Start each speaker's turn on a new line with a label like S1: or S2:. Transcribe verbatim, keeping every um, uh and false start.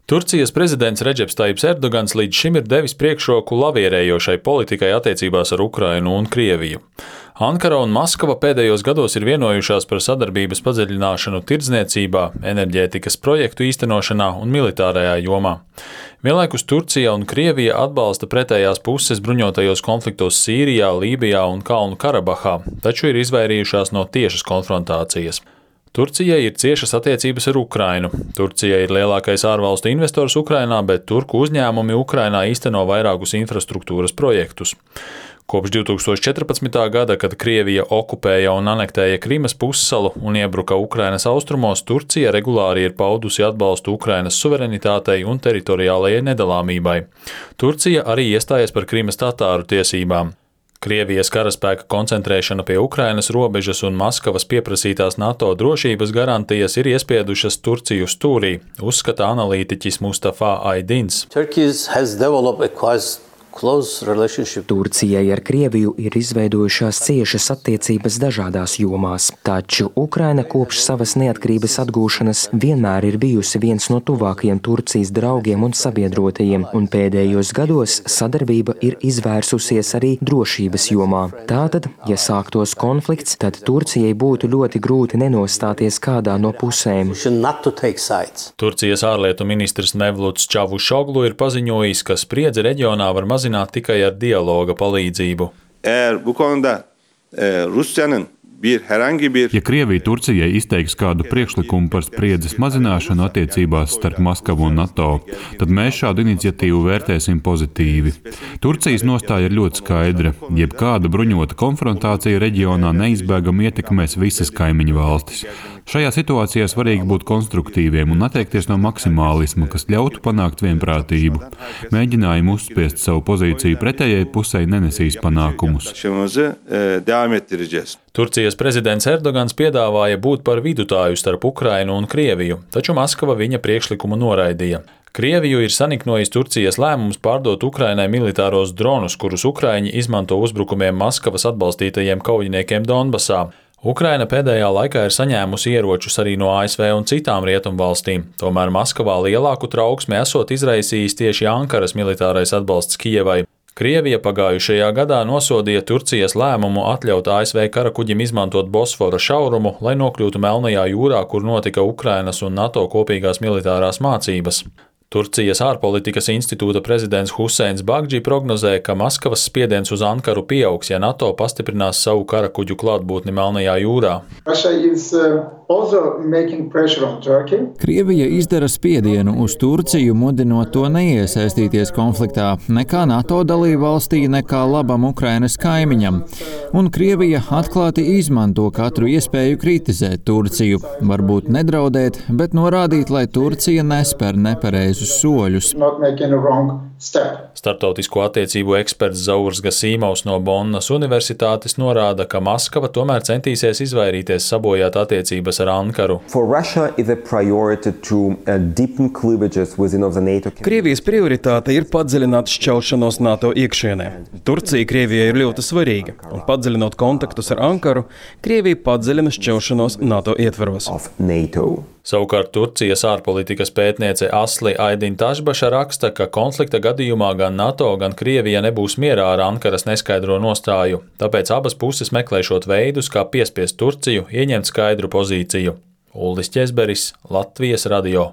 S1: Turcijas prezidents Redžeps Tajips Erdogans līdz šim ir devis priekšroku lavierējošai politikai attiecībās ar Ukrainu un Krieviju. Ankara un Maskava pēdējos gados ir vienojušās par sadarbības padziļināšanu tirdzniecībā, enerģētikas projektu īstenošanā un militārajā jomā. Vienlaikus Turcija un Krievija atbalsta pretējās puses bruņotajos konfliktos Sīrijā, Lībijā un Kalnu Karabahā, taču ir izvairījušās no tiešas konfrontācijas. Turcijai ir ciešas attiecības ar Ukrainu. Turcija ir lielākais ārvalstu investors Ukrainā, bet turku uzņēmumi Ukrainā īsteno vairākus infrastruktūras projektus. Kopš divi tūkstoši četrpadsmitā gada, kad Krievija okupēja un anektēja Krimas pussalu un iebruka Ukrainas austrumos, Turcija regulāri ir paudusi atbalstu Ukrainas suverenitātei un teritoriālajai nedalāmībai. Turcija arī iestājas par Krimas tatāru tiesībām. Krievijas karaspēka koncentrēšana pie Ukrainas robežas un Maskavas pieprasītās NATO drošības garantijas ir iespiedušas Turciju stūrī, uzskata analītiķis Mustafa Aydins.
S2: Turcijai ar Krieviju ir izveidojušās ciešas attiecības dažādās jomās, taču Ukraina kopš savas neatkarības atgūšanas vienmēr ir bijusi viens no tuvākajiem Turcijas draugiem un sabiedrotajiem, un pēdējos gados sadarbība ir izvērsusies arī drošības jomā. Tātad, ja sāktos konflikts, tad Turcijai būtu ļoti grūti nenostāties kādā no pusēm.
S1: Turcijas ārlietu ministrs Mevluts Čavušoglu ir paziņojis, ka spriedzi reģionā var mazināt tikai ar dialoga palīdzību.
S3: Ja Krievija Turcijai izteiks kādu priekšlikumu par spriedzes mazināšanu attiecībās starp Maskavu un NATO, tad mēs šādu iniciatīvu vērtēsim pozitīvi. Turcijas nostāja ir ļoti skaidra. Jebkāda bruņota konfrontācija reģionā neizbēgami ietekmēs visas kaimiņu valstis. Šajā situācijā svarīgi būt konstruktīviem un atteikties no maksimālisma, kas ļautu panākt vienprātību. Mēģinājumi uzspiest savu pozīciju pretējai pusei nenesīs panākumus.
S1: Turcijas prezidents Erdogans piedāvāja būt par vidutāju starp Ukrainu un Krieviju, taču Maskava viņa priekšlikumu noraidīja. Krieviju ir saniknojis Turcijas lēmums pārdot Ukrainai militāros dronus, kurus Ukraiņi izmanto uzbrukumiem Maskavas atbalstītajiem kaujiniekiem Donbasā. Ukraina pēdējā laikā ir saņēmusi ieročus arī no A S V un citām rietumvalstīm, tomēr Maskavā lielāku trauksmi esot izraisījis tieši Ankaras militārais atbalsts Kijevai. Krievija pagājušajā gadā nosodīja Turcijas lēmumu atļaut A S V karakuģim izmantot Bosfora šaurumu, lai nokļūtu Melnajā jūrā, kur notika Ukrainas un NATO kopīgās militārās mācības. Turcijas ārpolitikas institūta prezidents Huseins Bagdži prognozē, ka Maskavas spiediens uz Ankaru pieaugs, ja NATO pastiprinās savu karakuģu klātbūtni Melnajā jūrā.
S4: Krievija izdara spiedienu uz Turciju, mudinot to neiesaistīties konfliktā nekā NATO dalībvalstī, nekā labam Ukrainas kaimiņam. Un Krievija atklāti izmanto katru iespēju kritizēt Turciju, varbūt nedraudēt, bet norādīt, lai Turcija nespēr nepareizus soļus.
S1: Starptautisko attiecību eksperts Zaurs Gasīmovs no Bonnas universitātes norāda, ka Maskava tomēr centīsies izvairīties sabojāt attiecības ar Ankaru.
S5: Krievijas prioritāte ir padziļināt šķelšanos NATO iekšienē. Turcija Krievijai ir ļoti svarīga, un padziļinot kontaktus ar Ankaru, Krievija padziļina šķelšanos NATO ietvaros.
S1: Savukārt Turcijas ārpolitikas pētniece Asli Aydin Tašbaša raksta, ka konflikta gadījumā gan NATO, gan Krievija nebūs mierā ar Ankaras neskaidro nostāju, tāpēc abas puses meklēšot veidus, kā piespiest Turciju ieņemt skaidru pozīciju. Uldis Ķezberis, Latvijas radio.